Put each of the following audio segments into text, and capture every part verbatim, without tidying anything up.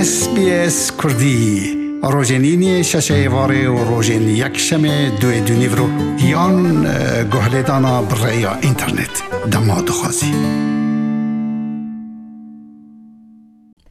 S B S Kurdî, rojên îniyê şeşê êvarê û rojên yekşemê duê dûnîvro yan, e, guhlêdana bi rêya înternet. Dema dixwazî.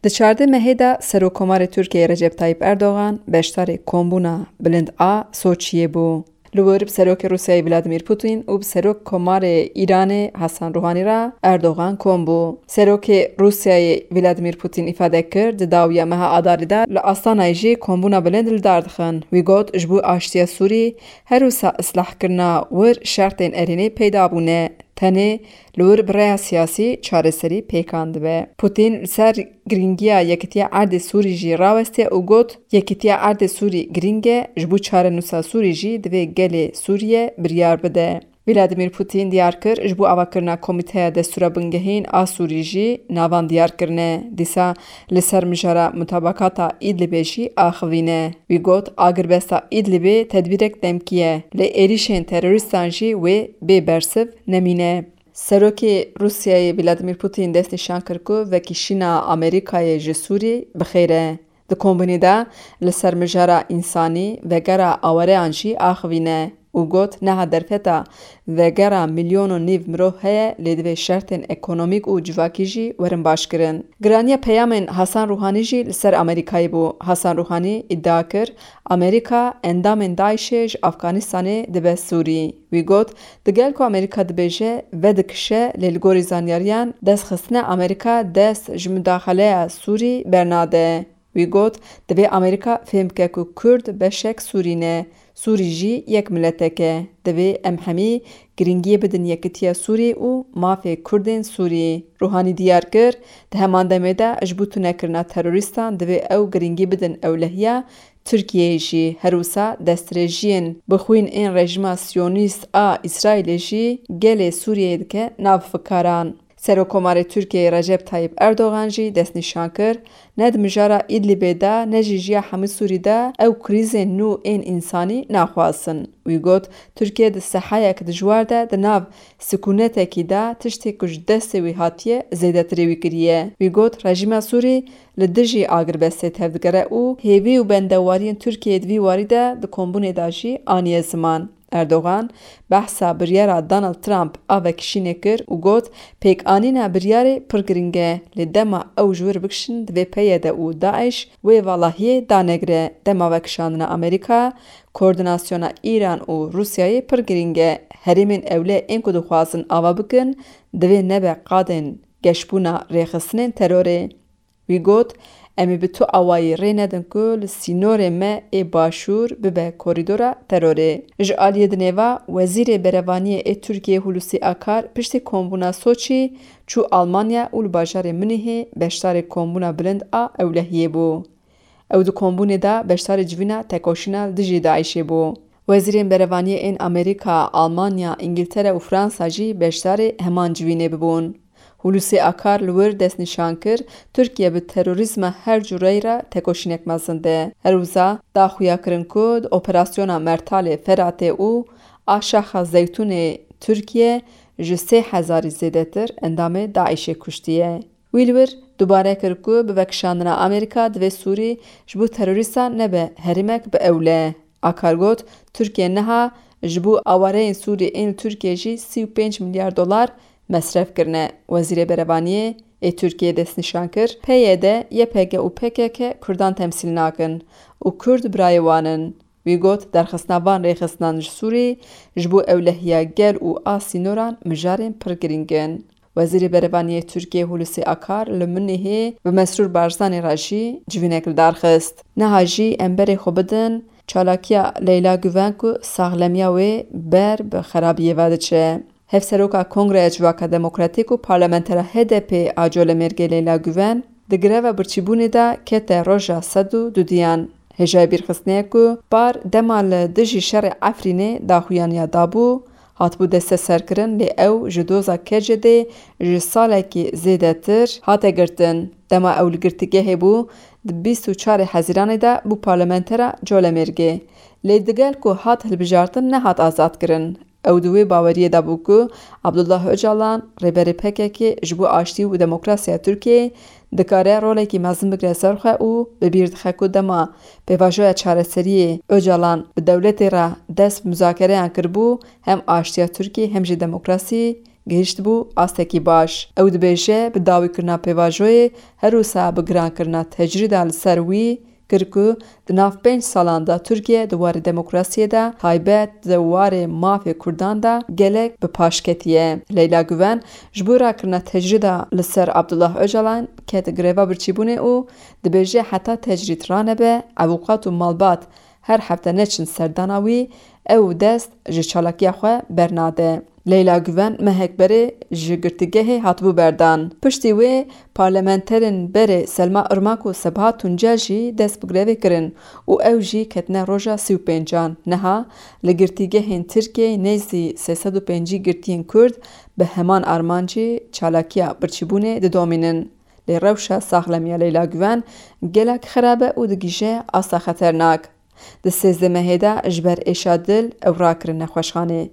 Di çardeh mehê de Serokkomarê Tirkiyeyê Recep Tayyip Erdogan beşdarê kombûna bilind a Soçiyê bû. Li wir bi Serokê Rûsyayê Vladimir Putin û bi Serokkomarê Îranê Hasan Ruhanî re Erdogan kom bû. Serokê Rûsyayê Vladimir Putin îfade kir, di dawiya meha Adarê de li Astanayê jî kombûna bilind li dar dixin. Wî got, ji bo aştiya Sûrî her wisa islahkirina wir şertên erênê peyda bûne. Tenê li wir bi rêya siyasî çareserî pêkan dibe. Putin li ser girîngiya yekitiya erdê Sûrî jî rawestiye û got, yekitiya erdê Sûrî girîng e, ji bo çarenûsa Sûrî jî divê gelê Sûriye biryar bide. Vladimir Putin diyar kir, ji bo avakirina Komîteya Destûra Bingehîn a Sûrî jî navan diyar kirine. Dîsa li ser mijara mutabakata Îdlibê jî axivîne. Wî got, agirbesta Îdlibê tedbîrek demkî ye, lê êrîşên terorîstan jî wê bê bersiv nemîne. Serokê Rûsyayê Vladimir Putin destnîşan kir ku vekişîna Amerîkayê ji Sûrî bi xêr e. Di kombûnê de li ser mijara însanî, vegera awareyan jî axivîne û got, niha derfeta vegera milyon û nîv mirov heye, lê divê şertên ekonomîk û civakî jî werin başkirin. Giraniya peyamên Hasan Ruhanî jî li ser Amerîkayê bû. Hasan Ruhanî îdia kir, Amerîka endamên DAIŞê ji Afganistanê dibe Sûrî. Wî got, digel ku Amerîka dibêje vedikişe, lê li gorî zanyariyan destxistina Amerîka dest ji mudaxaleya Sûrî bernade. Wî got, divê Amerîka fêm bike ku Kurd beşek Sûrî ne, Sûrî jî yek miletek e. Divê em hemî girîngiyê bidin yekitiya Sûrî û mafê Kurdên Sûrî. Ruhanî diyar kir, di heman demê de ji bo tunekirina terorîstan divê ew girîngî bidin ewlehiya Tirkiyeyê jî. Her wisa destdirêjiyên bi xwîn ên rejîma siyonîst a Îsraîlê jî gelê Sûriyeyê dike nav fikaran. Serokkomarê Tirkiyeyê Recep Tayyip Erdogan jî destnîşan kir, ne di mijara Îdlibê de ne jî ji ya hemû Sûrî de ew krîzên nû ên însanî naxwazin. Wî got, Tirkiye di sehayek dijwar de di nav sikûnetekî de tiştê ku ji destê wî hatiye zêdetirê wî kiriye. Wî got, rejîma Sûrî li dijî agirbestê tevdigere û hêvî û bendewariyên Tirkiyeyê di vî warî de di kombûnê de jî aniye ziman. Erdogan behsa biryara Donald Trump a vekişînê kir û got, pêkanîna biryarê pir giring e, lê dema ew ji wir bikişin divê P Y D û DAIŞ wê valahiyê danegire. Dema vekişandina Amerîka, koordînasyona Îran û Rûsyayê pir giring e. Herêmên ewle ên ku dixwazin ava bikin, divê nebe qadên geşbûna rêxistinên terorê. Wî got, em ê bi tu awayî rê nedin ku li sînorê me ê başûr bibe korîdora terorê. Ji aliyê dinê ve, Wezîrê Berevaniyê ê Tirkiyê Hulusi Akar piştî kombûna Soçî çû Almanya û li bajarê Munîhê beşdarê kombûna bilind a ewlehiyê bû. Ew di kombûnê de beşdarê civîna tekoşîna li dijî DAIŞê bû. Wezîrên berevaniyê ên Amerîka, Almanya, Îngiltere û Fransa jî beşdarê heman civînê bibûn. Hulusi Akar li wir destnîşan kir, Tirkiye bi terorîzma her cureyî re tekoşînek mezin de. Her wiza da xuya kirin ku di operasyona Mertalê Feratê û a Şaxa Zeytûnê Tirkiye ji sê hezarî zêdetir endamê DAIŞê kuştiye. Wî li wir dubare kir ku bi vekişandina Amerîka divê Sûrî ji bo terorîstan nebe herêmek bi ewle. Akar got, Tirkiye niha ji bo awareyên Sûrî ên li Tirkiye jî sî û pênc milyar dolar mesref kirine. Wezîrê Berevaniyê ê Tirkiyê destnîşan kir, P Y D, Y P G û P K K Kurdan temsîl nakin û Kurd birayê wan in. Wî got, derxistina van rêxistinan ji Sûrî ji bo ewlehiya gel û a sînoran mijarên pir girîng in. Wezîrê Berevaniyê Tirkiyê Hulusi Akar li Munîhê bi Mesrûr Barzanî re jî civînek li dar xist. Niha jî em berê xwe bidin çalakiya Leyla Guven ku saxlemiya wê ber bi xerabiyê ve diçe. Hevseroka Kongreya Civaka Demokratîk û parlamentera H D P a Colemêrgê Leyla Guven di greva birçîbûnê de kete roja sed û dudiyan. Hêjayî bîrxistinê ye ku par dema li dijî şerê Efrînê daxuyaniya dabû, hatibû desteserkirin, lê ew ji doza K C D'ê ji salekî zêdetir hate girtin. Dema ew li girtîgehê bû, di bîst û çarê Hezîranê de bû parlamentera Colemêrgê. Lê digel ku hat hilbijartin, nehat azadkirin. Ew di wê baweriyê de bû ku Abdullah Ocalan, rêberê P K K, ji bo aştî û demokrasiya Tirkiyeyê dikare rolekî mezin bigire ser xwe û bi bîr dixe ku dema pêvajoya çareseriyê Ocalan bi dewletê re dest bi muzakereyan kiribû, hem aştiya Tirkiyê hem jî demokrasî gihiştibû astekî baş. Ew dibêje, bi dawîkirina pêvajoyê her wisa bi girankirina tecrîda li ser wî kir ku di nav pênc salan de Tirkiye di warê demokrasiyê de, taybet di warê mafê Kurdan de gelek bi paş ketiye. Leyla Guven ji bo rakirina tecrîda li ser Abdullah Ocalan ket greva birçîbûnê û dibêje heta tecrîd ranebe, avûkat û malbat her hefte neçin serdana wî, ew dest ji çalakiya xwe bernade. Leyla Guven mehek berê ji girtîgehê hatibû berdan. Piştî wê parlamenterên berê Selma Irmak û Sebha Tuncel jî dest bi grevê kirin û ew jî ketine roja sî û pêncan. Niha li girtîgehên Tirkiyeyê nêzî sê sed û pêncî girtiyên Kurd bi heman armancî çalakiya birçîbûnê didomînin. Lê rewşa saxlemiya Leyla Guven gelek xirab e û digihîje asta xeternak. Di sêzdeh mehê de ji ber êşa dil ew rakirin nexweşxanê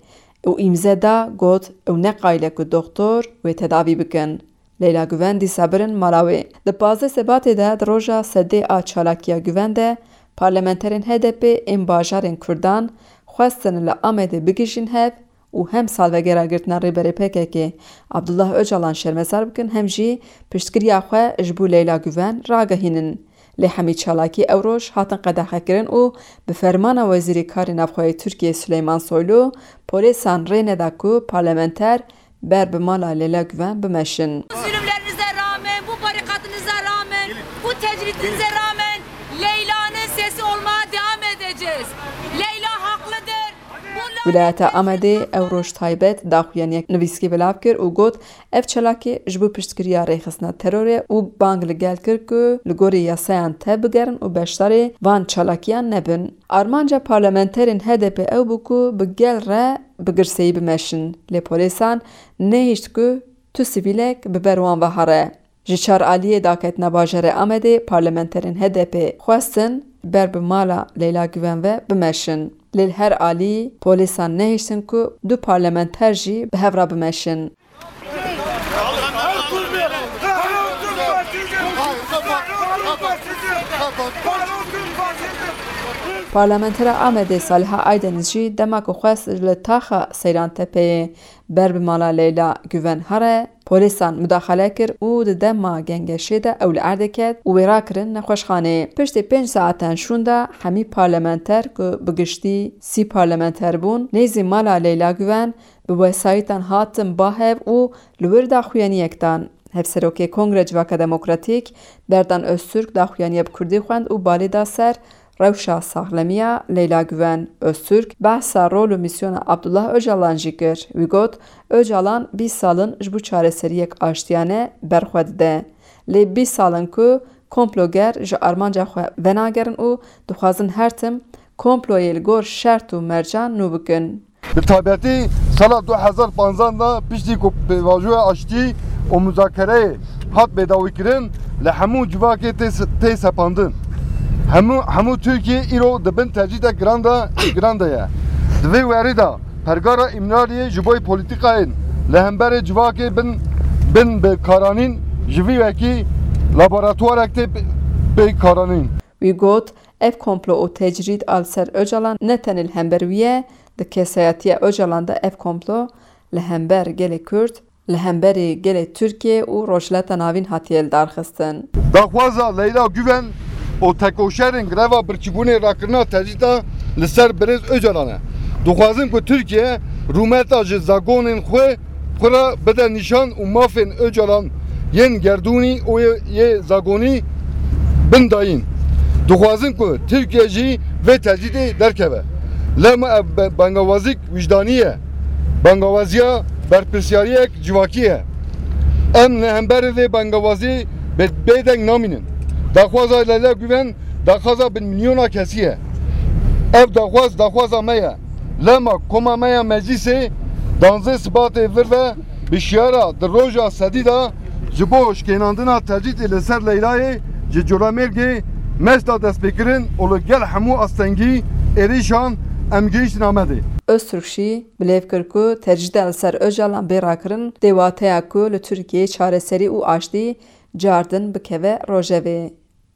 û îmze da, got ew ne qayîl e ku doxtor wê tedavî bikin. Leyla Guven dîsa birin mala wê. Di pazdeh Sebatê de, di roja sedê a çalakiya Guven de, parlamenterên H D P ên bajarên Kurdan xwestin li Amedê bigihîjin hev û hem salvegera girtina Rêberê P K K Abdullah Ocalan şermezar bikin, hem jî piştgiriya xwe ji bo Leyla Guven ragihînin. Lê hemî çalakî ew roj hatin qedexekirin û bi fermana Wezîrê Karê Navxwe yê Tirkiyê Sileyman Soylu polêsan rê neda ku parlamenter ber bi mala Leyla Guven bimeşin. Bu zulümlerinize rağmen, bu barikatınıza rağmen, bu tecritinize rağmen Leyla'nın sesi olmaya devam edeceğiz. Leyla haklıdır. Wilayeta Amedê ew roj taybet daxuyaniyek nivîskî belav kir û got, ev çalakî ji bo piştgiriya rêxistina terorê û bang li gel kir ku li gorî yasayan tevbigerin û beşdarê van çalakiyan nebin. Armanca parlamenterên H D P ew bû ku bi gel re bi girseyî bimeşin, lê polêsan nehişt ku tu sivîlek bi ber wan ve here. Ji çar aliyê daketina bajarê Amedê parlamenterên H D P xwestin ber bi mala Leyla Guven ve bimeşin. Lê li her alî polîsan nehiştin ku du parlamenter jî bi hev re bimeşin. Parlamentera Amedê Saliha Aydeniz jî dema ku xwest li taxa Seyran Tepeyê ber bi mala Leyla Guven here, polîsan mudaxale kir û di dema gengeşê de ew li erdê ket û wê rakirin nexweşxanê. Piştî pênc saetan şûnda hemî parlamenter ku bi giştî sî parlamenter bûn, nêzî mala Leyla Guven bi wesayîtan hatin ba hev û li wir daxuyaniyek dan. Hevserokê Kongre Civaka Demokratîk Berdan Öztürk daxuyaniya bi kurdî xwend û balê da ser rewşa saxlemiya Leyla Guven. Öztürk behsa rol û mîsyona Abdullah Ocalan jî kir. Wî got, Ocalan bîst sal in ji bo çareseriyek aştiyane ber xwe dide. Lê bîst sal in ku komploger ji armanca xwe venagerin û dixwazin her tim komployê li gor şert û mercan nû bikin. Bi taybetî sala du hezar panzdeh de piştî ku pêvajoya aştî û muzakereyê hat bêdawîkirin, li hemû civakê tê se-, tê sepandin. Hemû, hemû Tirkiye îro di bin tecrîdek giran de, giran de ye. Di vê werî de pergara Îmraliyê ji bo polîtîkayên li hemberê civakê bin, bin bi karanîn ji vî wekî laboratuwarek tê pê-, pê karanîn. Wî got, ev komplo û tecrîd a li ser Ocalan ne tenê li hember wî ye, di kesayetiya Ocalan de ev komplo li hember gelê Kurd, li hemberî gelê Tirkiye û Rojhilata Navîn hatiye lidarxistin. Daxwaza Leyla Guven û tekoşerên greva birçîbûnê rakirina tecrîda li ser birêz Ocalan e. Dixwazin ku Tirkiye rûmeta ji zagonên xwe xwe re bide nîşan û mafên Ocalan yên gerdûnî û yê, yê zagonî bin dayîn. Dixwazin ku Tirkiye jî vê tecrîdê derkeve. Lema ev be-, bangawazîk wijdanî ye. Bangawaziya berpirsiyariyek civakî ye. Em li hemberî vê bangawazî bê-, bêdeng namînin. Daxwaza Leyla Guven daxwaza bin milyona kesî ye. Ev daxwaz daxwaza me ye. Lema koma me ya meclîsê danzdeh Sibatê vir ve bi şiyara di roja sedî de ji bo şikênandina tecrîdê li ser Leyla'yê ji Colemêrgê mest da destpêkirin û li gel hemû astengî êrîşan em gihiştin Amedê. Öztürk jî bilêv kir ku tecrîda li ser Ocalan bê rakirin dê wateya ku li Tirkiyeyê çareserî û aştî cardin bikeve rojevê.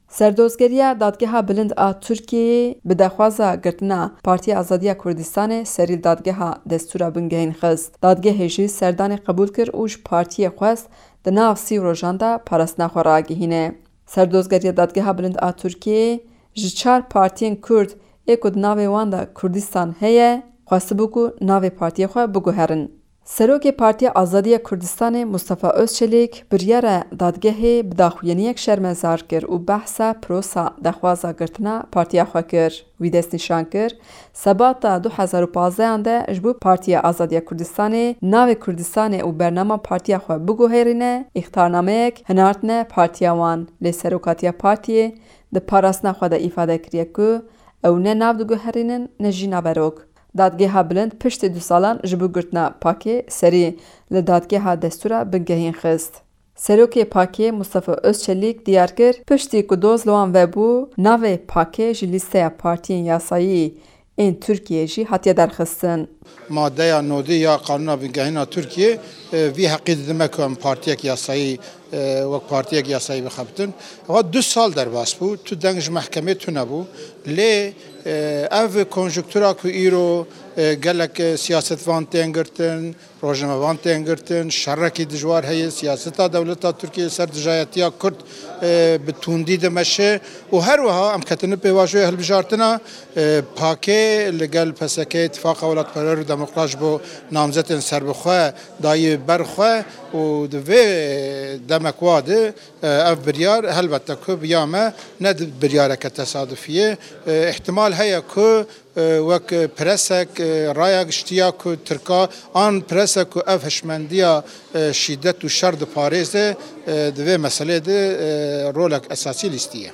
Serdozgeriya Dadgeha Bilind a Tirkiyeyê bi daxwaza girtina Partiya Azadiya Kurdistanê serî li Dadgeha Destûra Bingehîn xist. Dadgehê jî serdanê qebûl kir û ji partiyê xwest di nav sî rojan de parastina xwe ragihîne. Serdozgeriya Dadgeha Bilind a Tirkiyeyê ji çar partiyên Kurd ê ku di navê wan de Kurdistan heye, xwestibû ku navê partiyê xwe biguherin. Serokê Partiya Azadiya Kurdistanê Mustafa Özçelik biryara dadgehê bi daxuyaniyek şermezar kir û behsa prosa daxwaza girtina partiya xwe kir. Wî destnîşan kir, Sebata du hezar û pazdehan de ji bo Partiya Azadiya Kurdistanê navê Kurdistanê û bernama partiya xwe biguherîne, îxtarnameyek hinartine partiya wan. Lê serokatiya partiyê di parastina xwe de îfade kiriye ku ew ne nav diguherînin ne jî naverok. Dadgeha Bilind piştî du salan ji bo girtina PAKê serî li Dadgeha Destûra Bingehîn xist. Serokê PAKê Mustafa Özçelik diyar kir, piştî ku doz li wan vebû, navê PAKê ji lîsteya partiyên yasayî ên Tirkiyeyê jî hatiye derxistin. Madeya nodî ya Qanûna Bingehîna Tirkiyê, e, vî heqî didime ku em partiyek yasayî, e, wek partiyek yasayî bixebitin. Ewa du sal derbas bû, tu deng ji mehkemê tune bû. Lê, e, ev konjunktura ku îro, e, gelek, e, siyasetvan tên girtin, rojnamevan tên girtin, şerekî dijwar heye, siyaseta dewleta Tirkiyê li ser dijayetiya Kurd, e, bi tundî dimeşe û her wiha em ketine pêvajoya hilbijartina, e, PAKê li gel P S K, Îtifaqa Welatperwer û Demokrat ji bo namzetên serbixwe dayî ber xwe û di vê demek wa de, e, ev biryar helbette ku bi ya me ne di-, biryareke tesadufî ye. E, îhtimal heye ku e, wek presek, e, raya giştî ya ku Tirka an presek ku ev hişmendiya, e, şîdet û şer diparêze, e, di vê meselê de, e, rolek esasî lîstiye.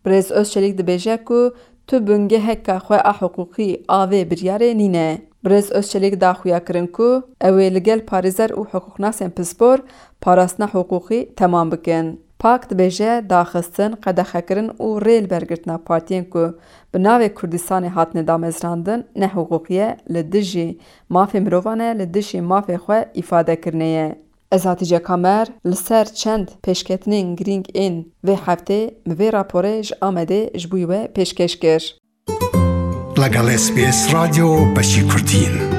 Birêz Özçelik dibêje ku tu bingeheka xwe a hiqûqî a vê biryarê nîne. Birêz Özçelik daxuya kirin ku ew ê li gel parêzer û hiqûqnasên pispor parastina hiqûqî temam bikin. PAK dibêje daxistin, qedexekirin û rêlibergirtina partiyên ku bi navê Kurdistanê hatine damezrandin, nehiqûqî ye, li dijî mafê mirovan e, li dijî mafê xwe îfadekirinê ye. Ez Hatice Kamer li ser çend pêşketinên girîng ên vê heftê min vê raporê ji Amedê ji bo we pêşkêş kir. لەگەڵ S B S رادیۆ بەشی کوردین.